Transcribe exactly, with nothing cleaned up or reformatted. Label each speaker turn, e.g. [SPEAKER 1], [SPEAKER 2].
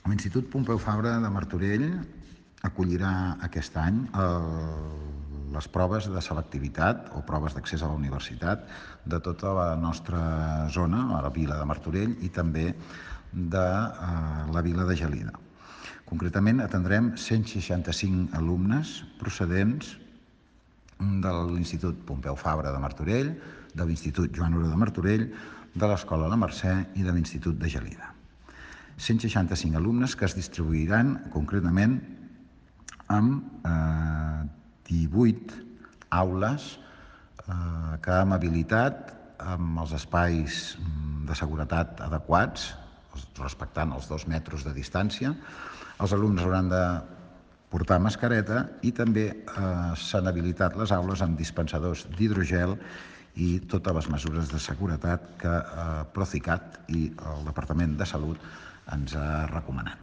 [SPEAKER 1] L'Institut Pompeu Fabra de Martorell acollirà aquest any el, les proves de selectivitat o proves d'accés a la universitat de tota la nostra zona, a la vila de Martorell i també de eh, la vila de Gelida. Concretament atendrem cent seixanta-cinc alumnes procedents de l'Institut Pompeu Fabra de Martorell, de l'Institut Joan Oró de Martorell, de l'Escola La Mercè i de l'Institut de Gelida. cent seixanta-cinc alumnes que es distribuiran concretament amb eh, divuit aules eh, que amb habilitat, amb els espais de seguretat adequats, respectant els dos metres de distància, els alumnes hauran de portar mascareta i també eh, s'han habilitat les aules amb dispensadors d'hidrogel i totes les mesures de seguretat que eh, Procicat i el Departament de Salut ens ha recomanat.